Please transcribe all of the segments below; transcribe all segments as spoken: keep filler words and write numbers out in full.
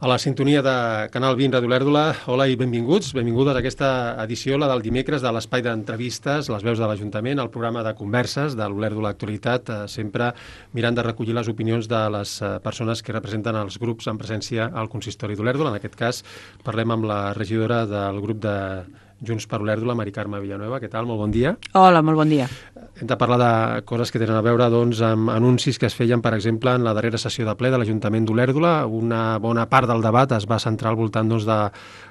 A la sintonia de Canal vint Ràdio Olèrdola, hola i benvinguts. Benvingudes a aquesta edició, la del dimecres, de l'espai d'entrevistes, les veus de l'Ajuntament, el programa de converses de l'Olèrdola Actualitat, eh, sempre mirant de recollir les opinions de les eh, persones que representen els grups en presència al consistori d'Olèrdola. En aquest cas, parlem amb la regidora del grup de Junts per Olèrdola, Mari Carme Villanueva. Què tal? Molt bon dia. Hola, molt bon dia. Hem de parlar de coses que tenen a veure doncs, amb anuncis que es feien, per exemple, en la darrera sessió de ple de l'Ajuntament d'Olèrdola. Una bona part del debat es va centrar al voltant doncs, de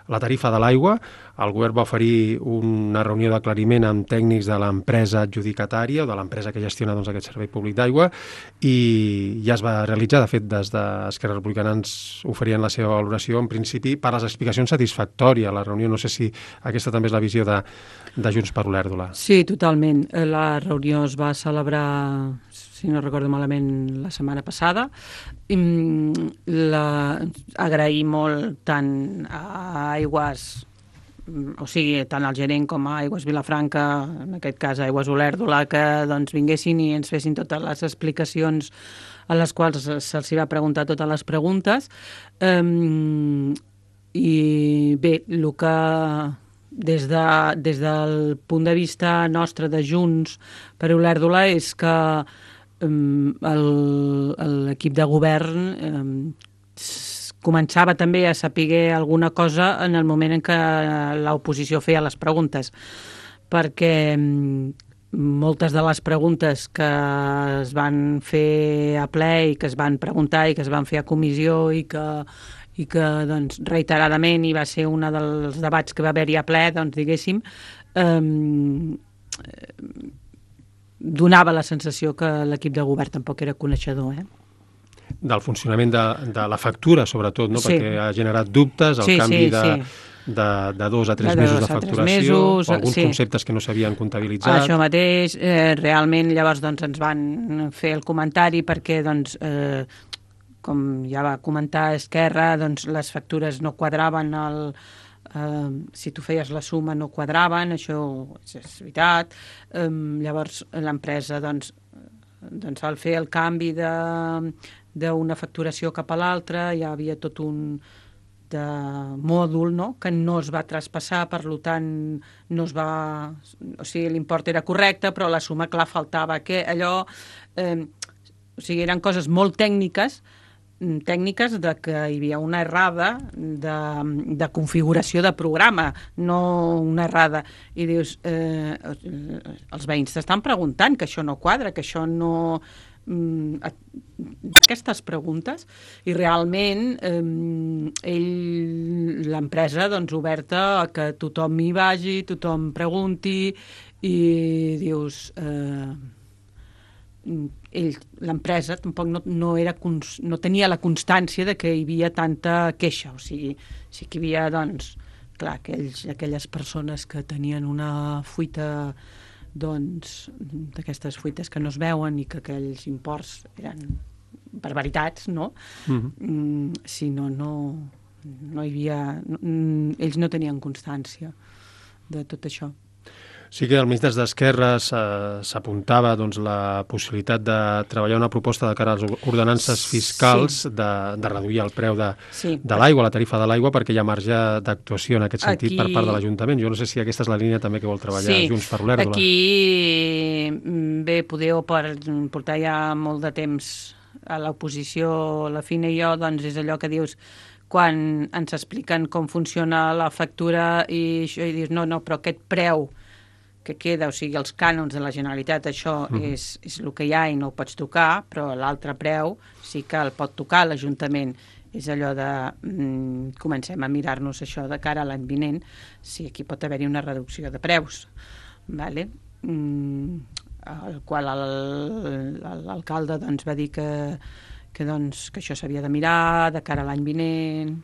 la tarifa de l'aigua. El govern va oferir una reunió d'aclariment amb tècnics de l'empresa adjudicatària o de l'empresa que gestiona doncs, aquest servei públic d'aigua i ja es va realitzar. De fet, des d'Esquerra Republicana ens oferien la seva valoració, en principi, per les explicacions satisfactòries. La reunió, no sé si aquesta també és la visió de, de Junts per Olèrdola. Sí, totalment. La reunió es va celebrar, si no recordo malament, la setmana passada. La... Agrair molt tant a Aigües, o sigui, tant al gerent com a Aigües Vilafranca, en aquest cas a Aigües Olèrdola, que doncs, vinguessin i ens fessin totes les explicacions a les quals se'ls va preguntar totes les preguntes. Um, I bé, el que des, de, des del punt de vista nostre de Junts per Olèrdola és que um, l'equip de govern um, començava també a saber alguna cosa en el moment en què l'oposició feia les preguntes, perquè moltes de les preguntes que es van fer a ple i que es van preguntar i que es van fer a comissió i que, i que doncs, reiteradament hi va ser un dels debats que va haver-hi a ple, doncs, diguéssim, eh, donava la sensació que l'equip de govern tampoc era coneixedor, eh? Del funcionament de, de la factura, sobretot, no? Sí. Perquè ha generat dubtes, el sí, canvi sí, de, sí. de, de dos a tres de mesos dos de facturació, mesos, o alguns sí. conceptes que no s'havien comptabilitzat. Això mateix, eh, realment llavors doncs, ens van fer el comentari perquè, doncs, eh, com ja va comentar Esquerra, doncs, les factures no quadraven, el, eh, si tu feies la suma no quadraven, això és veritat. Eh, llavors l'empresa, doncs, doncs, al fer el canvi de d'una facturació cap a l'altra, hi havia tot un de mòdul, no?, que no es va traspassar, per tant, no es va... O sigui, l'import era correcte, però la suma, clar, faltava. Que allò... Eh, o sigui, eren coses molt tècniques, tècniques de que hi havia una errada de, de configuració de programa, no una errada. I dius, eh, els veïns t'estan preguntant que això no quadra, que això no... aquestes preguntes i realment eh, ell, l'empresa doncs oberta a que tothom hi vagi, tothom pregunti i dius eh, ell, l'empresa tampoc no, no, era, no tenia la constància de que hi havia tanta queixa, o sigui, sí que hi havia doncs, clar, aquells, aquelles persones que tenien una fuita doncs, d'aquestes fuites que no es veuen i que aquells imports eren barbaritats, no? Uh-huh. Mm, si no, no, no hi havia... No, ells no tenien constància de tot això. Sí que almenys des d'Esquerra s'apuntava doncs, la possibilitat de treballar una proposta de cara a les ordenances fiscals sí. de, de reduir el preu de, sí. de l'aigua, la tarifa de l'aigua, perquè hi ha marge d'actuació en aquest sentit Aquí... per part de l'Ajuntament. Jo no sé si aquesta és la línia també que vol treballar sí. Junts per Olèrdola. Aquí, bé, podeu per portar ja molt de temps a l'oposició, la Fina i jo, doncs és allò que dius quan ens expliquen com funciona la factura i això, i dius, no, no, però aquest preu que queda, o sigui, els cànons de la Generalitat, això uh-huh. és, és el que hi ha i no ho pots tocar, però l'altre preu sí que el pot tocar l'Ajuntament. És allò de... Mm, comencem a mirar-nos això de cara a l'any vinent, si aquí pot haver-hi una reducció de preus, vale? Mm, el qual l'alcalde doncs, va dir que, que, doncs, que això s'havia de mirar de cara a l'any vinent,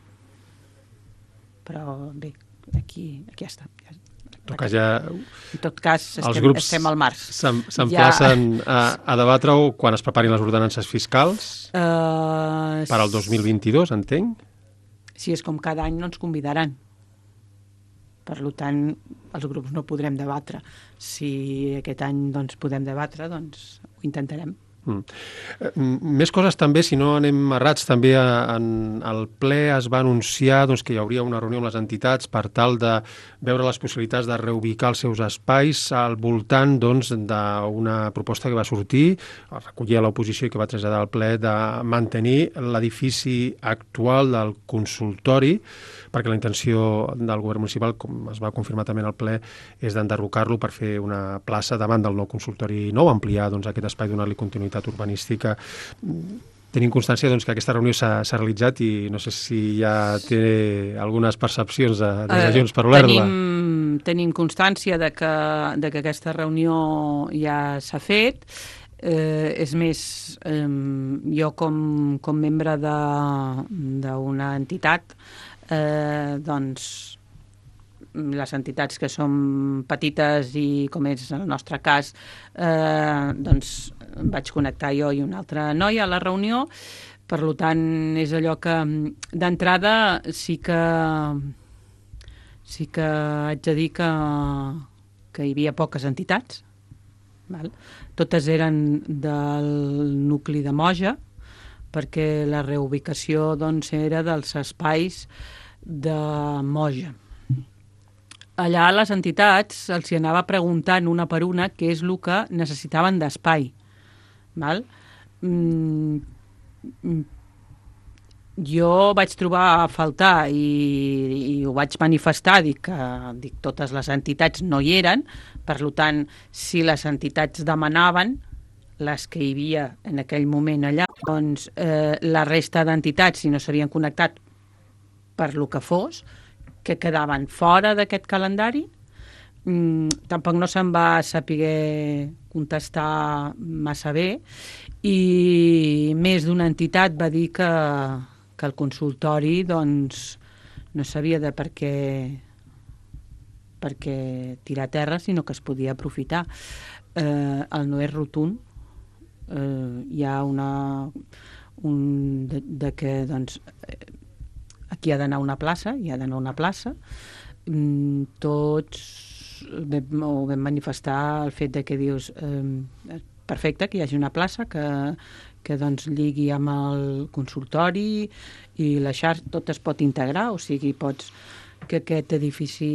però bé, aquí, aquí ja està. Toca ja... En tot cas, estem, estem al març. S'emplacen ja... a, a debatre-ho quan es preparin les ordenances fiscals uh, per al dos mil vint-i-dos, entenc? Si és com cada any no ens convidaran. Per tant, els grups no podrem debatre. Si aquest any doncs, podem debatre, doncs ho intentarem. Mm. Més coses també, si no anem errats, també en el ple es va anunciar doncs, que hi hauria una reunió amb les entitats per tal de veure les possibilitats de reubicar els seus espais al voltant doncs, d'una proposta que va sortir, recollir a l'oposició i que va traslladar al ple, de mantenir l'edifici actual del consultori, perquè la intenció del govern municipal, com es va confirmar també en el ple, és d'enderrocar-lo per fer una plaça davant del nou consultori nou, ampliar doncs, aquest espai, donar-li continuïtat urbanística. Tenim constància doncs, que aquesta reunió s'ha realitzat i no sé si ja té algunes percepcions de, des de Junts per Olèrdola. Tenim, tenim constància de que, de que aquesta reunió ja s'ha fet. Eh, és més, eh, jo com, com membre d'una entitat, eh, doncs les entitats que som petites i com és el nostre cas, eh, doncs vaig connectar jo i una altra noia a la reunió. Per tant, és allò que d'entrada sí que sí que haig de dir que, que hi havia poques entitats. Val? Totes eren del nucli de Moja, perquè la reubicació doncs, era dels espais de Moja. Allà les entitats els hi anava preguntant una per una què és el que necessitaven d'espai. Val? Mm, jo vaig trobar a faltar i, i ho vaig manifestar, dic que dic, totes les entitats no hi eren, per tant, si les entitats demanaven, les que hi havia en aquell moment allà, doncs eh, la resta d'entitats, si no s'havien connectat per lo que fos, que quedaven fora d'aquest calendari. Mm, tampoc no se'n va saber contestar massa bé i més d'una entitat va dir que, que el consultori doncs, no sabia de per què, per què tirar a terra, sinó que es podia aprofitar. Eh, el no és rotund. Eh, hi ha una... Un, de, de que doncs, aquí ha d'anar una plaça, hi ha d'anar una plaça. Mm, tots vam, ho vam manifestar el fet de que dius eh, perfecte, que hi hagi una plaça que, que doncs lligui amb el consultori i la xarxa, tot es pot integrar, o sigui, pots que aquest edifici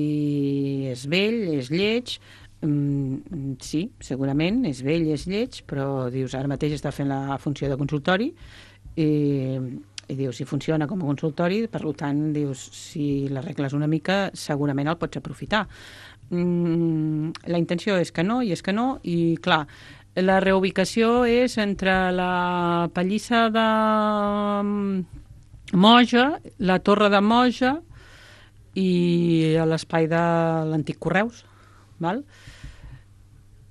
és vell, és lleig, mm, sí, segurament és vell, és lleig, però dius, ara mateix està fent la funció de consultori i i dius, si funciona com a consultori, per tant, dius, si l'arregles una mica, segurament el pots aprofitar. Mm, la intenció és que no, i és que no, i clar, la reubicació és entre la pallissa de Moja, la torre de Moja i l'espai de l'antic Correus, val?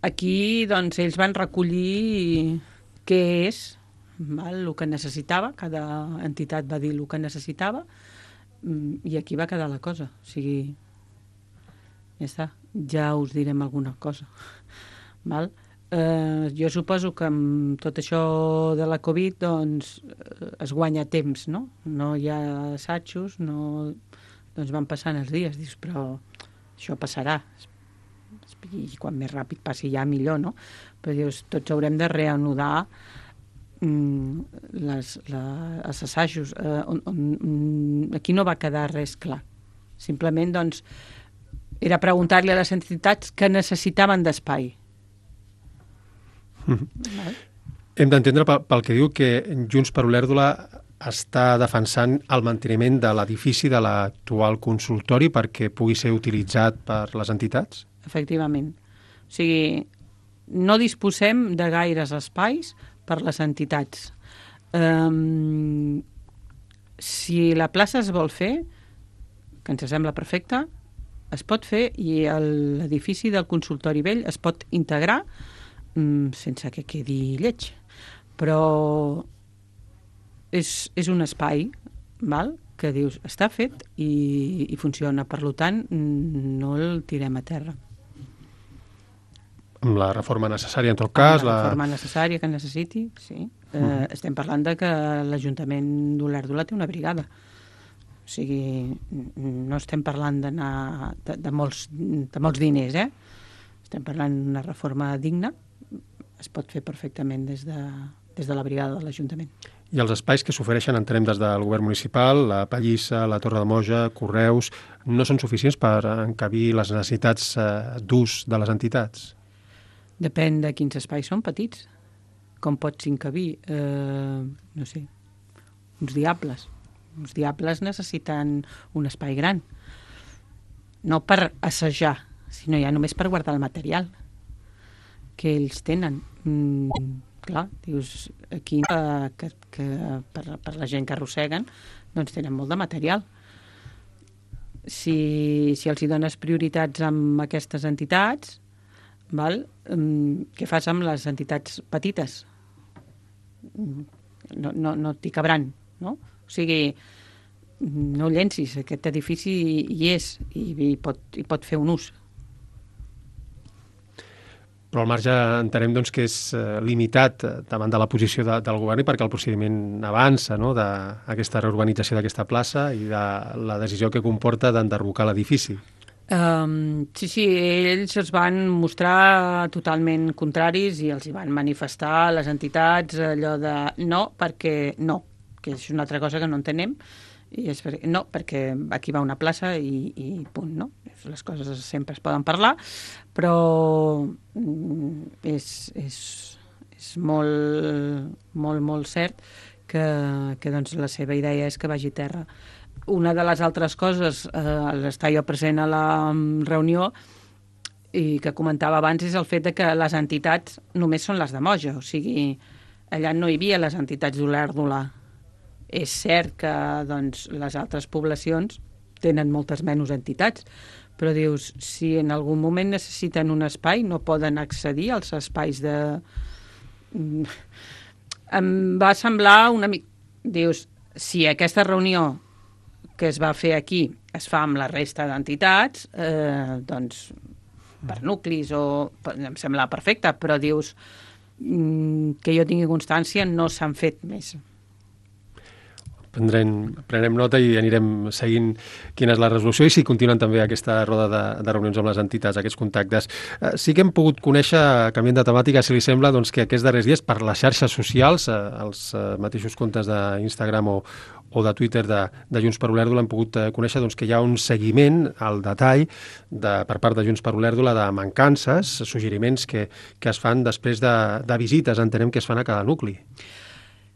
Aquí, doncs, ells van recollir què és, val, el que necessitava, cada entitat va dir el que necessitava i aquí va quedar la cosa. O sigui, ja està, ja us direm alguna cosa. Val? Eh, jo suposo que amb tot això de la Covid doncs, es guanya temps, no? No hi ha assajos, no... doncs van passant els dies, dius, però això passarà. I quan més ràpid passi ja millor, no? Però dius, tots haurem de reanudar Les, la, els assajos eh, on, on, aquí no va quedar res clar, simplement doncs era preguntar-li a les entitats que necessitaven d'espai. Mm-hmm. Hem d'entendre pel, pel que diu que Junts per Olèrdola està defensant el manteniment de l'edifici de l'actual consultori perquè pugui ser utilitzat per les entitats? Efectivament, o sigui, no disposem de gaires espais per les entitats. Um, si la plaça es vol fer, que ens sembla perfecte, es pot fer i l'edifici del consultori vell es pot integrar um, sense que quedi lleig. Però és, és un espai, val? Que dius, està fet i, i funciona. Per tant, no el tirem a terra. Amb la reforma necessària, en tot cas. La reforma la... necessària que necessiti, sí. Eh, uh-huh. Estem parlant de que l'Ajuntament d'Olèrdola té una brigada. O sigui, no estem parlant d'anar de, de, molts, de molts diners, eh? Estem parlant d'una reforma digna. Es pot fer perfectament des de des de la brigada de l'Ajuntament. I els espais que s'ofereixen, entenem, des del govern municipal, la Pallissa, la Torre de Moja, Correus, no són suficients per encabir les necessitats eh, d'ús de les entitats? Depèn de quins espais són petits. Com pots encabir? Eh, no sé, uns diables. Uns diables necessiten un espai gran. No per assajar, sinó ja només per guardar el material que ells tenen. Mm, clar, dius, aquí eh, que, que per, per la gent que arrosseguen doncs tenen molt de material. Si, si els hi dones prioritats amb aquestes entitats, val? Mm, què fas amb les entitats petites? No, no, no t'hi cabran, no? O sigui, no llencis, aquest edifici hi és i, i, pot, i pot fer un ús. Però al marge entenem doncs, que és eh, limitat davant de la posició de, del govern i perquè el procediment avança, no?, d'aquesta reurbanització d'aquesta plaça i de la decisió que comporta d'enderrocar l'edifici. Um, sí, sí, ells es van mostrar totalment contraris i els hi van manifestar a les entitats allò de no, perquè no, que és una altra cosa que no entenem, i és per, no, perquè aquí va una plaça i, i punt, no? Les coses sempre es poden parlar, però és, és, és molt, molt, molt cert que, que doncs, la seva idea és que vagi a terra. Una de les altres coses, eh, l'estar jo present a la reunió i que comentava abans, és el fet de que les entitats només són les de Moja, o sigui, allà no hi havia les entitats d'Olèrdola. És cert que doncs, les altres poblacions tenen moltes menys entitats, però dius, si en algun moment necessiten un espai, no poden accedir als espais de... Em va semblar una mica... Dius, si aquesta reunió que es va fer aquí es fa amb la resta d'entitats, eh, doncs per nuclis o... em sembla perfecte, però dius que jo tingui constància no s'han fet més. Prendrem, prenem nota i anirem seguint quina és la resolució i si continuen també aquesta roda de, de reunions amb les entitats, aquests contactes. Eh, sí que hem pogut conèixer, canviant de temàtica, si li sembla, doncs, que aquests darrers dies per les xarxes socials, eh, els eh, mateixos comptes d'Instagram o, o de Twitter de, de Junts per Olèrdola hem pogut eh, conèixer doncs, que hi ha un seguiment al detall de, per part de Junts per Olèrdola de mancances, suggeriments que, que es fan després de, de visites, entenem que es fan a cada nucli.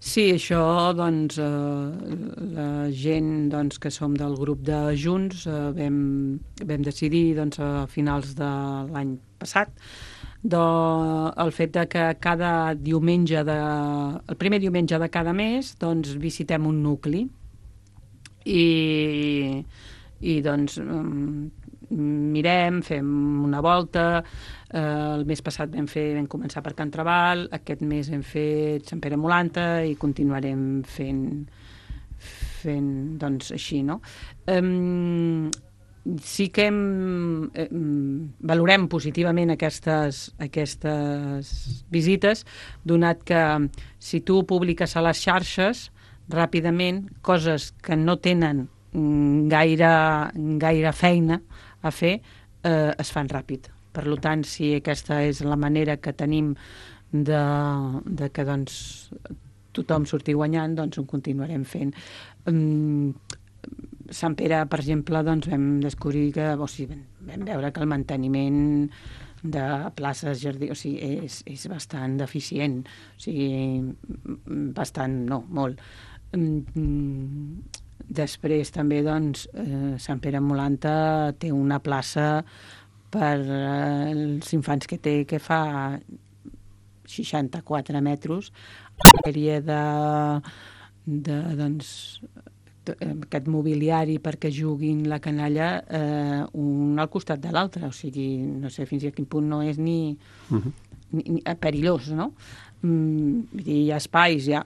Sí, això, doncs, eh, la gent doncs, que som del grup de Junts eh, vam, vam decidir doncs, a finals de l'any passat de, el fet de que cada diumenge, de, el primer diumenge de cada mes, doncs, visitem un nucli i, i doncs, mirem, fem una volta. Eh, el mes passat vam, fer, vam començar per Can Trabal, aquest mes hem fet Sant Pere Molanta i continuarem fent, fent doncs, així, no? Um, sí que hem, eh, valorem positivament aquestes, aquestes visites, donat que si tu publiques a les xarxes ràpidament coses que no tenen gaire, gaire feina a fer, eh, es fan ràpid. Per tant, si aquesta és la manera que tenim de, de que doncs, tothom surti guanyant, doncs ho continuarem fent. Um, Sant Pere, per exemple, doncs, vam descobrir que, o sigui, vam veure que el manteniment de places, jardí, o sigui, és, és bastant deficient, o sigui, bastant, no, molt. Um, després també, doncs, eh, Sant Pere Molanta té una plaça per eh, els infants que té, que fa seixanta-quatre metres, una sèrie de, de doncs, aquest mobiliari perquè juguin la canalla eh, un al costat de l'altre, o sigui, no sé fins a quin punt no és ni, uh-huh. ni, ni perillós, no? Mm, vull dir, hi ha espais, hi ha,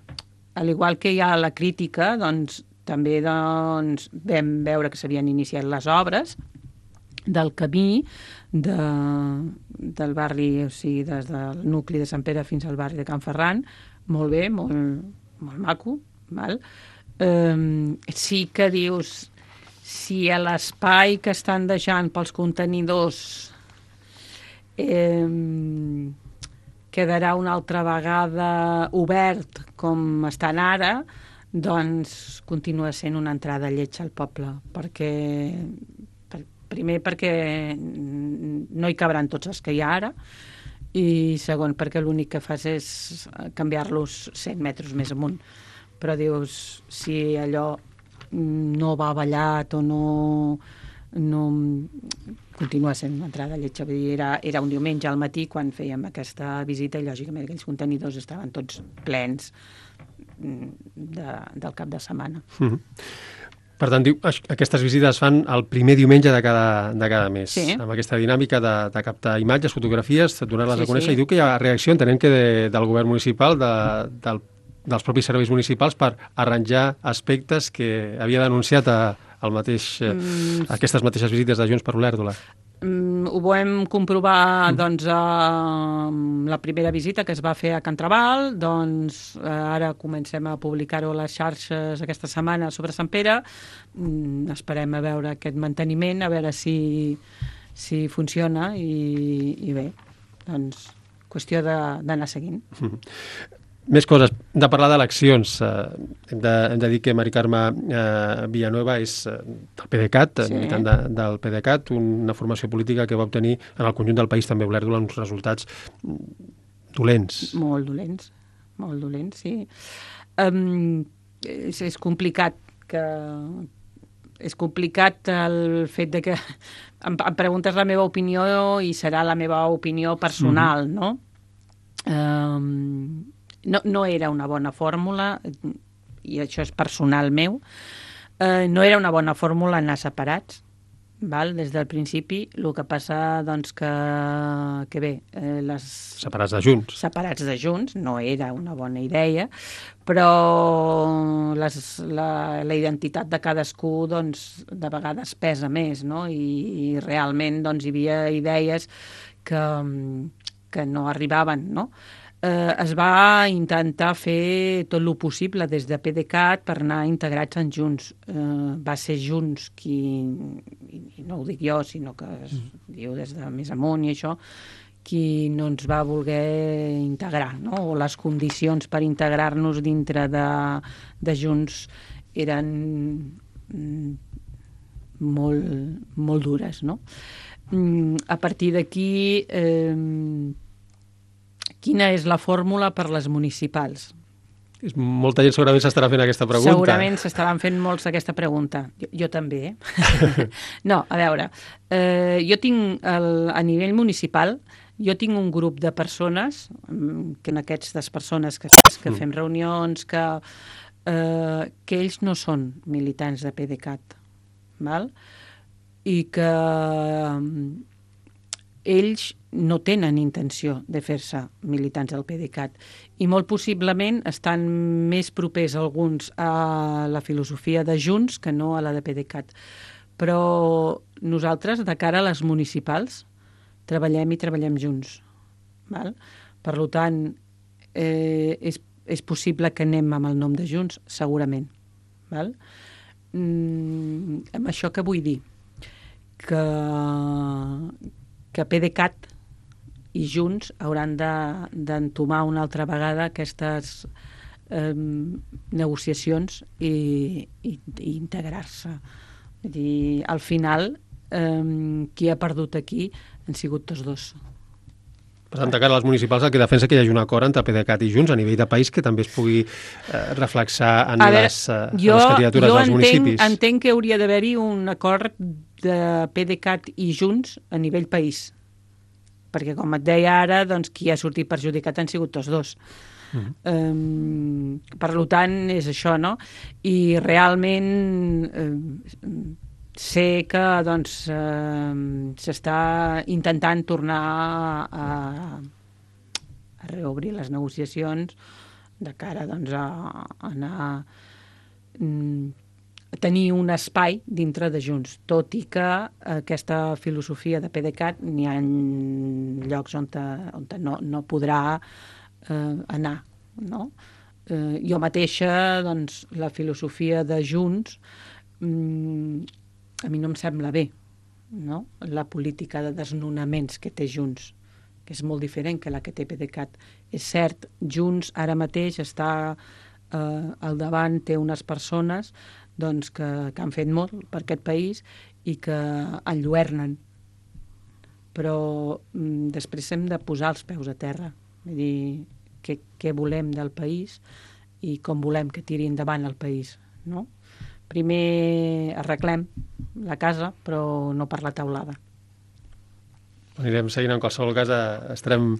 al igual que hi ha la crítica, doncs també doncs, vam veure que s'havien iniciat les obres del camí de, del barri, o sigui, des del nucli de Sant Pere fins al barri de Can Ferran, molt bé, molt, molt maco, val? Um, sí que dius, si a l'espai que estan deixant pels contenidors eh, quedarà una altra vegada obert com estan ara, doncs continua sent una entrada lletja al poble, perquè per, primer perquè no hi cabran tots els que hi ha ara, i segon perquè l'únic que fas és canviar-los cent metres més amunt. Però dius, si allò no va ballat o no, no continua sent una entrada lletja. Vull dir, era, era un diumenge al matí quan fèiem aquesta visita i lògicament aquells contenidors estaven tots plens de, del cap de setmana. Mm-hmm. Per tant, diu, aquestes visites es fan el primer diumenge de cada, de cada mes, sí. Amb aquesta dinàmica de, de captar imatges, fotografies, donar-les sí, a conèixer, sí. I diu que hi ha reacció, entenem que de, del govern municipal, de, del dels propis serveis municipals per arranjar aspectes que havia denunciat a, al mateix, mm. aquestes mateixes visites de Junts per Olèrdola. Mm, ho vam comprovar mm. doncs, a la primera visita que es va fer a Can Trabal, doncs ara comencem a publicar-ho a les xarxes aquesta setmana sobre Sant Pere. Mm, esperem a veure aquest manteniment, a veure si, si funciona i, i bé, doncs qüestió d'anar seguint. Mm. Més coses. Hem de parlar d'eleccions. Eh, hem, de, hem de dir que Mari Carme eh, Villanueva és eh, del PDeCAT, sí. militant de, del PDeCAT, una formació política que va obtenir en el conjunt del país, també Olèrdola, uns resultats dolents. Molt dolents, molt dolents, sí. Um, és, és complicat que... És complicat el fet de que em, em preguntes la meva opinió i serà la meva opinió personal, mm. no? Um, No, no era una bona fórmula, i això és personal meu, eh, no era una bona fórmula anar separats, val? Des del principi. El que passa, doncs, que, que bé... Eh, les... Separats de Junts. Separats de Junts, no era una bona idea, però les, la, la identitat de cadascú, doncs, de vegades pesa més, no? I, i realment, doncs, hi havia idees que, que no arribaven, no? Eh, es va intentar fer tot el possible des de PDeCAT per anar integrats en Junts. Eh, va ser Junts qui, i no ho dic jo, sinó que es mm. diu des de més amunt i això, qui no ens va voler integrar, no? O les condicions per integrar-nos dintre de, de Junts eren mm, molt, molt dures, no? Mm, a partir d'aquí... Eh, quina és la fórmula per les municipals? Molta gent segurament s'estarà fent aquesta pregunta. Segurament s'estaran fent molts aquesta pregunta. Jo, jo també, eh? No, a veure, eh, jo tinc, el, a nivell municipal, jo tinc un grup de persones, que en aquestes persones que, que fem reunions, que, eh, que ells no són militants de PDeCAT, val? I que ells no tenen intenció de fer-se militants del PDeCAT i molt possiblement estan més propers alguns a la filosofia de Junts que no a la de PDeCAT. Però nosaltres, de cara a les municipals, treballem i treballem junts. Val? Per tant, eh, és, és possible que anem amb el nom de Junts, segurament. Val? Mm, amb això què vull dir? Que, que PDeCAT i Junts hauran d'entomar una altra vegada aquestes eh, negociacions i, i, i integrar-se. Vull dir, al final, eh, qui ha perdut aquí han sigut tots dos. Per tant, de cara a les municipals, el que defensa que hi hagi un acord entre PDeCAT i Junts a nivell de país que també es pugui eh, reflexar en, veure, les, eh, jo, en les candidatures dels entenc, municipis. Jo entenc que hauria d'haver-hi un acord de PDeCAT i Junts a nivell país. Perquè, com et deia ara, doncs, qui ha sortit perjudicat han sigut tots dos. Uh-huh. Um, per tant, és això, no? I realment eh, sé que doncs, eh, s'està intentant tornar a, a reobrir les negociacions de cara doncs, a, a anar... Mm, tenir un espai dintre de Junts, tot i que aquesta filosofia de PDeCAT n'hi ha llocs on, te, on te no, no podrà eh, anar, no? Eh, jo mateixa, doncs, la filosofia de Junts mm, a mi no em sembla bé, no? La política de desnonaments que té Junts, que és molt diferent que la que té PDeCAT. És cert, Junts ara mateix està eh, al davant, té unes persones doncs, que, que han fet molt per aquest país i que enlluernen. Però mm, després hem de posar els peus a terra, vull dir, què, què volem del país i com volem que tiri endavant el país, no? Primer arreglem la casa, però no per la teulada. Anirem seguint, en qualsevol cas, estarem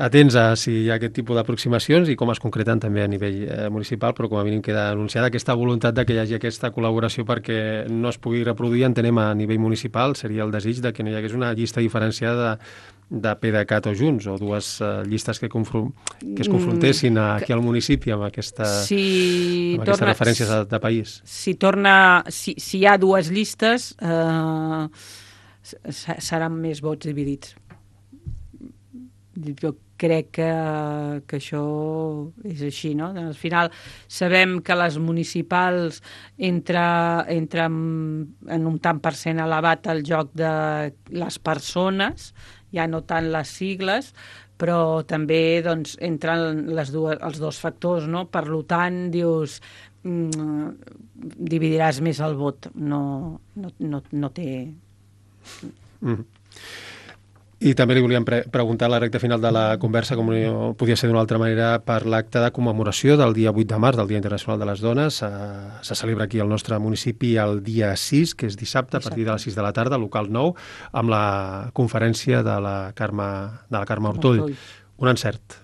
atents a si hi ha aquest tipus d'aproximacions i com es concreten també a nivell eh, municipal, però com a mínim queda anunciada aquesta voluntat de que hi hagi aquesta col·laboració perquè no es pugui reproduir, entenem, a nivell municipal, seria el desig de que no hi hagués una llista diferenciada de, de PDeCAT o Junts, o dues uh, llistes que, confron que es confrontessin aquí al municipi amb, aquesta, si amb aquestes torna, referències de, de país. Si, torna, si, si hi ha dues llistes, eh, seran més vots dividits. Jo crec que, que això és així, no? Al final sabem que les municipals entra, entra en un tant per cent elevat el joc de les persones, ja no tant les sigles, però també doncs, entren les dues, els dos factors, no? Per tant, dius, mm, dividiràs més el vot. No, no, no, no té... Mm. I també li volíem pre preguntar a la recta final de la conversa, com no podia ser d'una altra manera, per l'acte de commemoració del dia vuit de març, del Dia Internacional de les Dones. Eh, se celebra aquí al nostre municipi el dia sis, que és dissabte, dissabte, a partir de les sis de la tarda, local nou, amb la conferència de la Carme, de la Carme Ortoll. Un encert.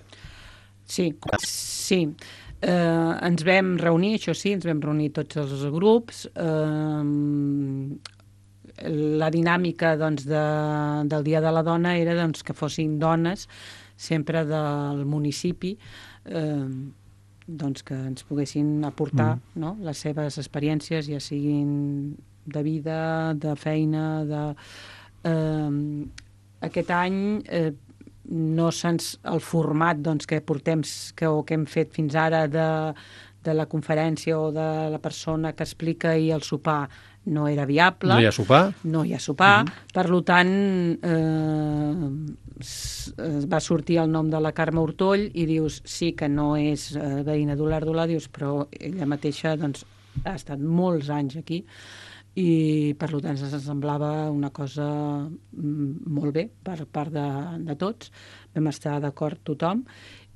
Sí, sí. Eh, ens vam reunir, això sí, ens vam reunir tots els grups. Eh, la dinàmica doncs, de, del Dia de la Dona era doncs, que fossin dones sempre del municipi, eh, doncs, que ens poguessin aportar mm. no? les seves experiències, ja siguin de vida, de feina, de... Eh, aquest any eh, no se'ns... el format doncs, que portem que, o que hem fet fins ara de, de la conferència o de la persona que explica i el sopar no era viable. No hi ha sopar? No hi ha sopar. Uh-huh. Per tant, eh, va sortir el nom de la Carme Ortoll i dius, sí que no és eh, veïna d'Olèrdola, dius, però ella mateixa doncs, ha estat molts anys aquí i per tant ens semblava una cosa molt bé per part de, de tots. Vam estar d'acord tothom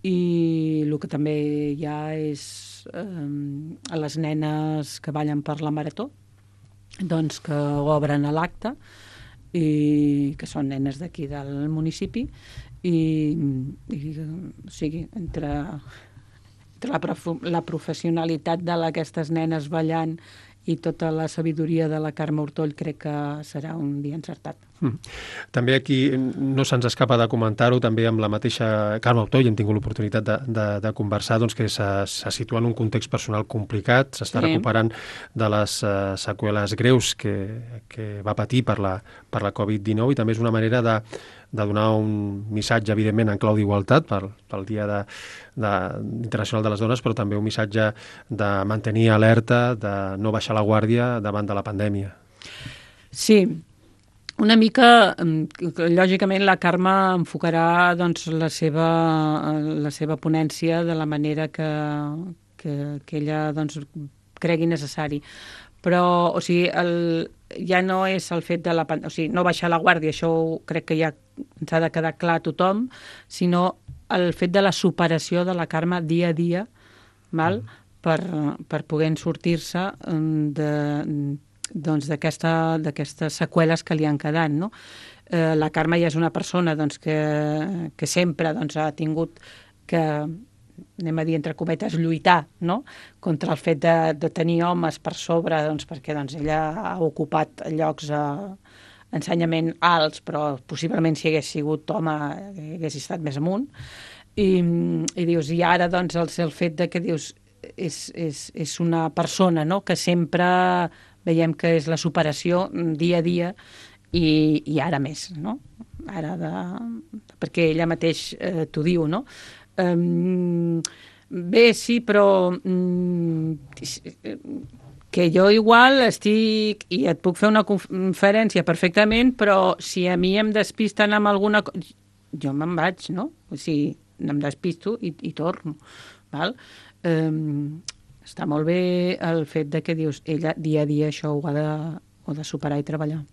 i el que també hi ha és eh, a les nenes que ballen per la marató, doncs que obren a l'acte i que són nenes d'aquí del municipi i, i o sigui, entre, entre la, prof, la professionalitat d'aquestes nenes ballant i tota la sabidoria de la Carme Ortoll crec que serà un dia encertat. Mm. També aquí no se'ns escapa de comentar-ho, també amb la mateixa Carme Ortoll hem tingut l'oportunitat de, de, de conversar, doncs, que se, se situa en un context personal complicat, s'està sí. recuperant de les uh, seqüeles greus que, que va patir per la, per la covid dinou i també és una manera de, de donar un missatge, evidentment, en clau d'igualtat pel, pel Dia de, de, Internacional de les Dones, però també un missatge de mantenir alerta, de no baixar la guàrdia davant de la pandèmia. Sí, una mica, lògicament, la Carme enfocarà doncs, la, seva, la seva ponència de la manera que, que, que ella doncs, cregui necessari. Però, o sigui, el, ja no és el fet de la... O sigui, no baixar la guàrdia, això crec que ja ens ha de quedar clar a tothom, sinó el fet de la superació de la Carme dia a dia, val? Mm. per, per poder sortir-se de... doncs d'aquestes aquesta seqüeles que li han quedat, no? Eh, la Carme ja és una persona doncs, que, que sempre doncs, ha tingut que, anem a dir entre cometes, lluitar, no? Contra el fet de, de tenir homes per sobre, doncs, perquè doncs, ella ha ocupat llocs a ensenyament alts, però possiblement si hagués sigut home hagués estat més amunt. I, i dius, i ara doncs, el, el fet de que dius és, és, és una persona, no? Que sempre veiem que és la superació dia a dia i, i ara més, no? Ara de... perquè ella mateix eh, t'ho diu, no? Um, bé, sí, però um, que jo igual estic i et puc fer una conferència perfectament, però si a mi em despisten amb alguna cosa... jo me'n vaig, no? O sigui, em despisto i, i torno, val? Eh, està molt bé el fet de que dius, ella dia a dia això ho ha de, ho ha de superar i treballar.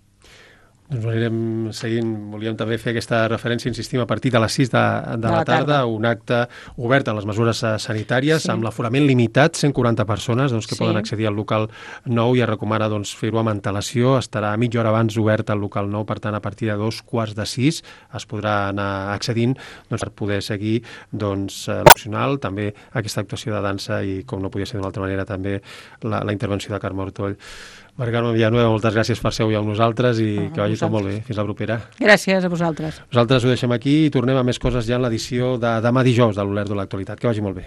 Doncs ho anirem seguint. Volíem també fer aquesta referència, insistim, a partir de les sis de, de, de la, la tarda, tarda, un acte obert a les mesures sanitàries, sí. amb l'aforament limitat, cent quaranta persones doncs, que sí. poden accedir al local nou, i es recomana doncs, fer-ho amb antelació. Estarà mitja hora abans obert el local nou, per tant, a partir de dos quarts de sis es podrà anar accedint doncs, per poder seguir doncs, l'opcional, també aquesta actuació de dansa i, com no podia ser d'una altra manera, també la, la intervenció de Carme Ortoll. Mari Carme Villanueva, moltes gràcies per ser avui amb nosaltres i ah, que vagi tot molt bé. Fins la propera. Gràcies a vosaltres. Nosaltres ho deixem aquí i tornem a més coses ja en l'edició de demà dijous de l'Olèrdola Actualitat. Que vagi molt bé.